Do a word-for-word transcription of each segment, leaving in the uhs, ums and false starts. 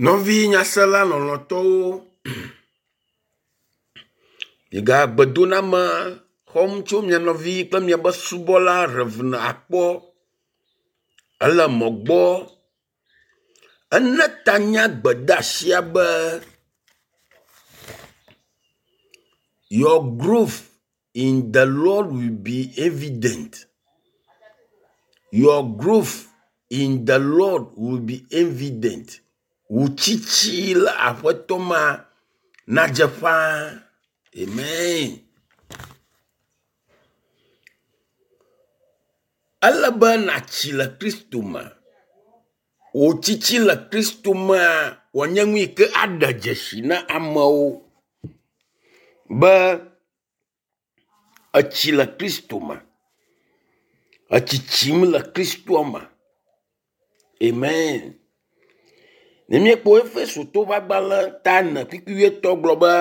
Nɔvi nyasela lɔlɔ̃tɔwo, miga gbedoname xɔm tso mia nɔvi kple miaƒe subɔla Rev. Akpɔ ele mɔ gbɔ. Ene ta nye gbedeasia be your growth in the Lord will be evident. Your growth in the Lord will be evident. Wò tsitsi le aƒetɔ mea nadze ƒãa. Amen. Ele be nàtsi le Kristo me. Wò tsitsi le Kristo mea wòanye nu yi ke aɖe dzesi na amewo be etsi le Kristo me. Etsitsim le Kristoa me. Amen. Ne míekpɔ Efesotɔwo ƒe agbalẽ ta ene kpukpui wuietɔ̃ gblɔ be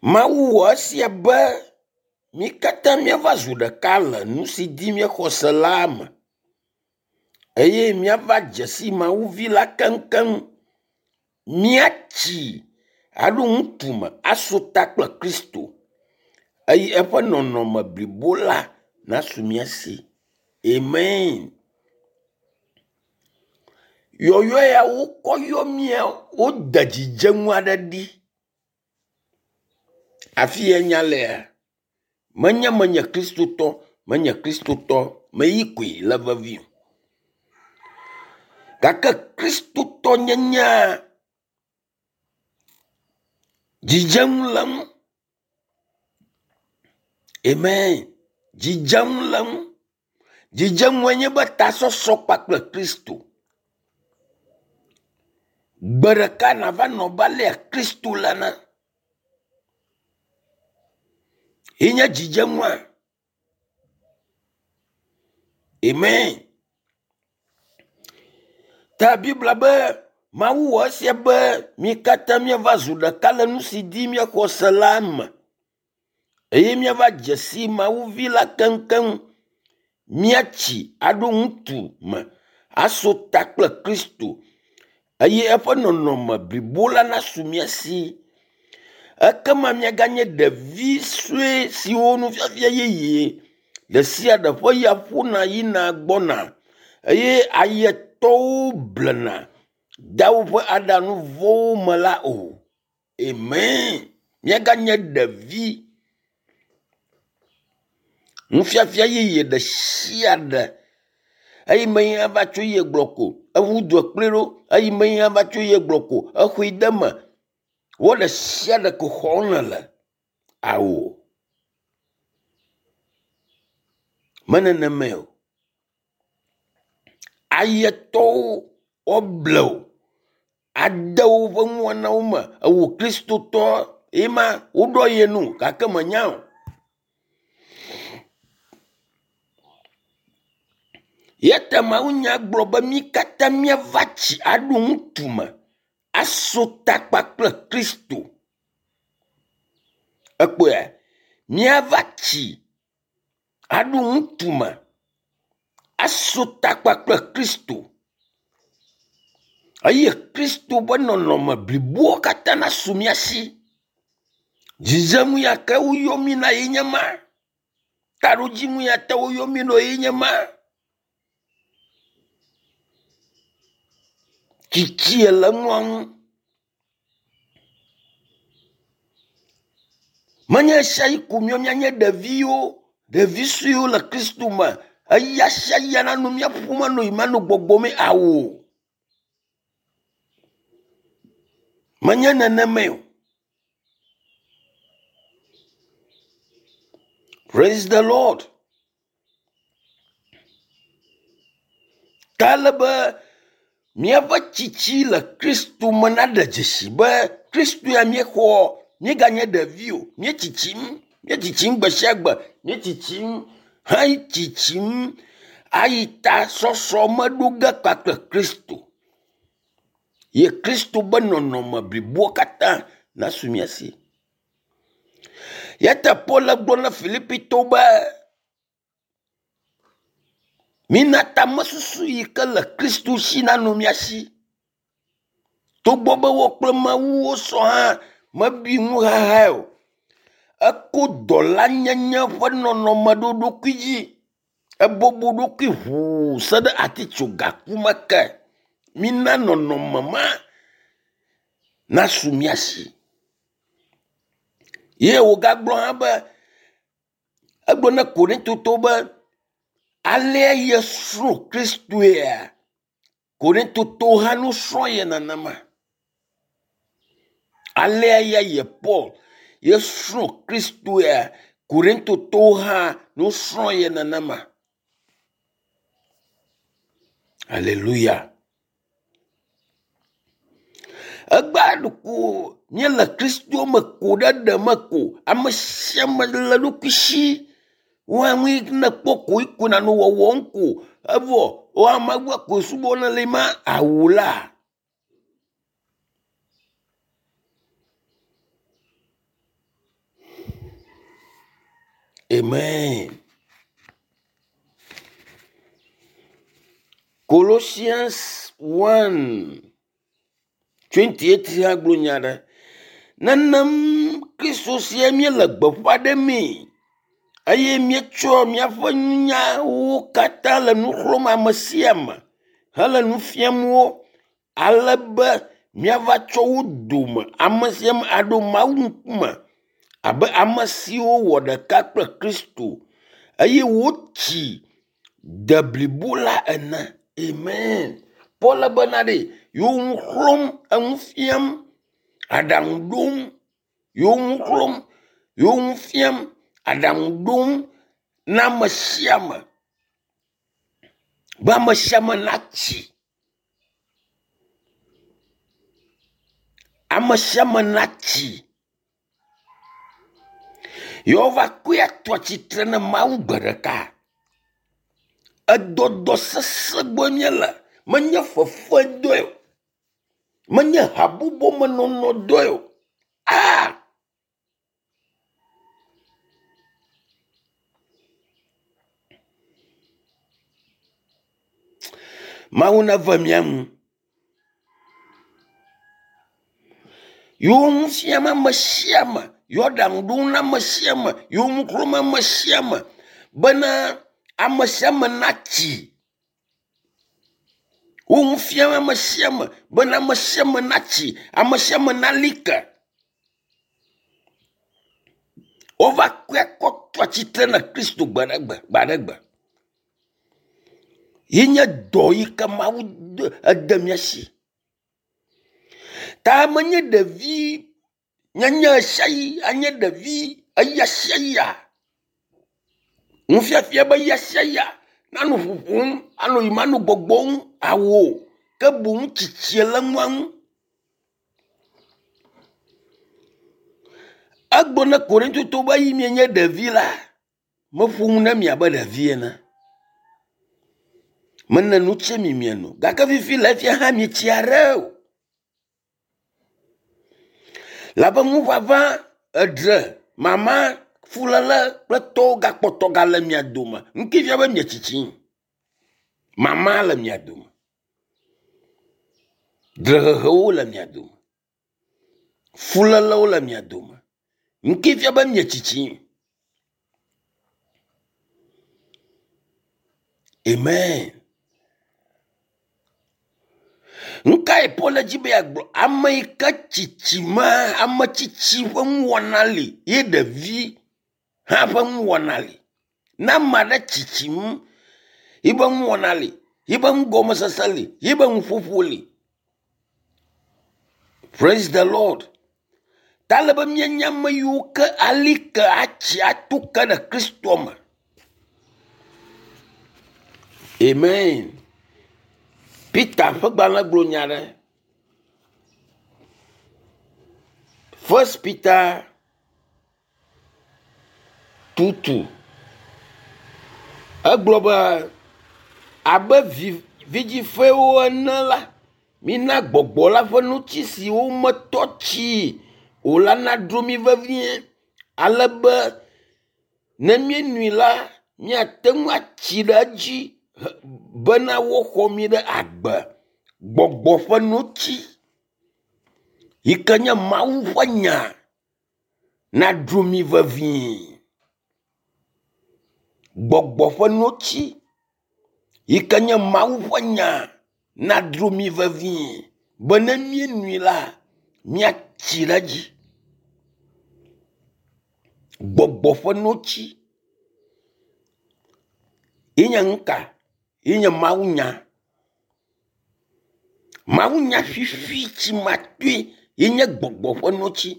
Mawu wɔ esia be mí katã míava zu ɖeka le nu si dzi míexɔ se la me eye míava dze si Mawu vi la keŋkeŋ. Míatsi aɖo ŋutume aso ta kple Kristo eye eƒe nɔnɔme blibo la nasu mía si. Amen. Yɔyɔ ya wokɔ yɔ mía wode dzidzenu aɖe ɖi. Afi ya nya lea, menye menye kristotɔ, menye kristotɔ, meyi koe le vevie o. Gake kristotɔnyenyea dzidzenu le eŋu. Amen. Dzidzenu le eŋu. Dzidzenue nye be tasɔsɔ kpakple Kristo. Gbe ɖeka nava nɔ abe alea Kristo le ene. Ye nye dzidzenua. Amen. Ta Biblia be Mawu wɔ esia be mí katã míava zu ɖeka le nu si dzi míexɔ se la me eye míava dze si Mawu vi la keŋkeŋ. Míatsi aɖo ŋutu me aso ta kple Kristo eye eƒe nɔnɔme blibo la nasu mía si. Ekema míaganye ɖevi sue siwo nufiafia yeye ɖe sia ɖe ƒe ya ƒona yina gbɔna eye ayetɔwo blena dea woƒe aɖaŋu vɔ̃wo me la o. Amen. Míaganye ɖevi. Nufiafia yeye ɖe sia ɖe eyi me yi ava tso ye gblɔ ko eʋu dua kplɔe ɖo eyi me yi ava tso ye gblɔ ko exɔe de eme. Wo ɖe sia ɖe ko xɔm nèle. Awo. Menenemae o. Ayetɔwo woable wò ade woƒe nuwɔnawo me. Ewò kristotɔ ye ma woɖɔ ye nu gake menya o. Ya ta mawunya gblɔ be mí katã míava tsi aɖo ŋutume aso ta kpakple Kristo. Ekpɔe míava tsi aɖo ŋutume aso ta kpakple Kristo eye Kristo ƒe nɔnɔme blibowo katã nasu mía si. Dzidzenu ya ke woyɔ mí na ye nye ma. Taɖodzinu ya te woyɔ mí ɖo ye nye ma. Tsitsie le nua ŋu. Menye ɣesiaɣi ko míawo míanye ɖeviwo, ɖevi suewo le Kristo me. Eya sia ya nanɔ mía ƒom anɔ yiyim anɔ gbɔgbɔm awo. Menye nenemae o. Praise the Lord. Ta ele be míaƒe tsitsi le Kristo me naɖe dzesi be Kristo ya míexɔ míeganye ɖevi o. Míetsitsim, míetsitsim gbe sia gbe, míetsitsim heyi tsitsim ayi tasɔsɔ me ɖo ge kpakple Kristo. Ye Kristo be nɔnɔme bliboa katã nasu mía si. Ya ta Paul gblɔ na Filipitɔwo be Mina tamesusu yi ke le Kristu si nanɔ mía si. Togbɔ be wo kple Mawu wosɔ hã mebui nuxaxae o. Eko dɔlanyenye ƒe nɔnɔme ɖo ɖokui dzi. Ebɔbɔ ɖokui ʋuu se ɖe atitsogaku me ke. Mina nɔnɔme ma nasu mía si. Ye wògagblɔ hã be egblɔ na Korintotɔwo be alea yesrɔ̃ Kristoea, Korintotɔwo hã nusrɔ̃ ye nenema. Alea ya ye Paul yesrɔ̃ Kristoea, Korintotɔwo hã nusrɔ̃ ye nenema. Alléluia. Egbea ɖeko míele Kristo me ko ɖe ɖe me ko. Ame sia ame le eɖokui si. Woawoe ne kpɔ ko ko nanɔ wɔwɔm ko. Evɔ wo amewo ko subɔ ne le ma awu la. Amen. Colossians one twenty-eight hã gblɔ nya ɖe. Nenem Kristo sia míele gbeƒã ɖemee eye míetsɔ míaƒe nunyawo katã le nu xlɔ̃m ame sia ame hele nu fiam wo ale be míava tsɔ wo dome ame sia ame aɖo Mawu ŋkume abe ame siwo wɔ ɖeka kple Kristo eye wotsi de blibo la ene. Amen. Paul bena ɖe yewo nu xlɔ̃m, enu fiam, aɖaŋu ɖom, yewo nu xlɔ̃m, yewo nu fiam, aɖaŋu ɖom na ame sia ame be ame sia ame natsi. Ame sia ame natsi. Yewo va kɔe ato atsitre ne Mawu gbe ɖeka. Edɔdɔ sesẽ gbɔ míele. Menye fefe dɔe o. Menye habɔbɔmenɔnɔ dɔe o. Ah! Mawu neve mía ŋu. Yewo nu fiam ame sia ame, yewo aɖaŋu ɖom na ame sia ame, yewo nu xlɔ̃m ame sia ame bena ame sia ame natsi. Wo nu fiam ame sia ame bena ame sia ame natsi, ame sia ame nali ke. Wova kɔe kɔ to atsitre na Kristo gbe ɖe gbe, gbe aɖe gbe. Ye nye dɔ yi ke Mawu de, ede mía si. Ta menye ɖevi nyenye sia yi anye ɖevi eya sia ya. Nufiafia be eya sia ya nanɔ ƒoƒom, anɔ yim anɔ gbɔgbɔm awo ke boŋ tsitsie le nua ŋu. Egblɔ na Korintotɔwo be eyi mienye ɖevi la, meƒo nu na mi abe ɖevi ene. Mene nu tse mi mieno gake fifi le efia hã mietsi aɖe o. Labe ŋuʋaʋã, edre, mama, fuléle kple tɔwo gakpɔtɔ gale mia dome. Ŋke fia be mietsitsi. Mama le mia dome. Drehehewo le mia dome. Fulélewo le mia dome. Ŋke fia be mietsitsi. Amen. Nukae Paul dzi be yeagblɔ? Ame yi ke tsitsi ma, ame tsitsi ƒe nuwɔna li ye ɖevi hã ƒe nuwɔna li. Ne ame aɖe tsitsim, yiƒe nuwɔna li, yiƒe nugɔmesese li, yiƒe nuƒoƒo li. Praise the Lord. Ta le be míenye ame yiwo ke ali ke atsi ato ke ɖe Kristo me. Amen. Peter ƒe gbalẽ gblɔ nya ɖe. First Peter two two. Egblɔ be abe vi, vidzifewo ene la, mina gbɔgbɔ la ƒe nutsi siwo metɔ tsi o la nadro mi vevie ale be ne míenui la, míate ŋu atsi ɖe edzi bena woxɔ mi ɖe agbe gbɔgbɔ ƒe notsi yi ke nye Mawu ƒe nya naɖu mi vevie. Gbɔgbɔ ƒe notsi yi ke nye Mawu ƒe nya nadro mi vevie be ne míenui la, míatsi ɖe edzi. Gbɔgbɔ ƒe notsi ye nye nu ka? Ye nye mawunya. Mawunya fifi tsimatoe ye nye gbɔgbɔ ƒe notsi.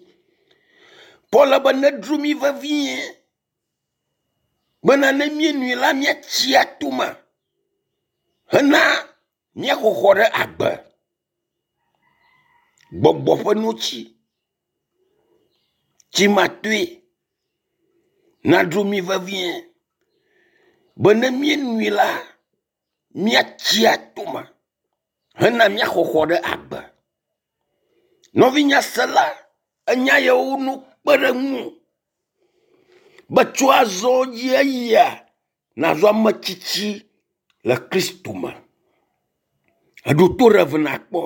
Paul be nedro mi vevie bena ne míenui la míatsi atome hena míaxɔxɔ ɖe agbe. Gbɔgbɔ ƒe notsi tsimatoe nadro mi vevie be ne míenui la míatsi atome hena míaxɔxɔ ɖe agbe. Nɔvinyasela, enya yawo no kpe ɖe ŋu be tso azɔ dzi eyia nàzu ame tsitsi le Kristo me. Eɖo to ɖe eve nakpɔ.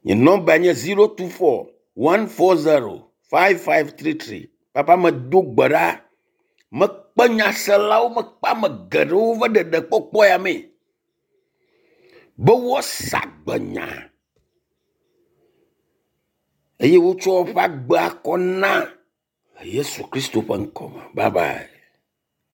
Nye nɔmba nye zero two four one four zero five five three three. Papa medo gbe ɖa. Mekpe nyaselawo, mekpe ame geɖewo va ɖeɖekpɔkpɔ ya mee be woasa gbenya eye wotsɔ woƒe agbe akɔ na le Yesu Kristo ƒe ŋkɔ me. Bye bye.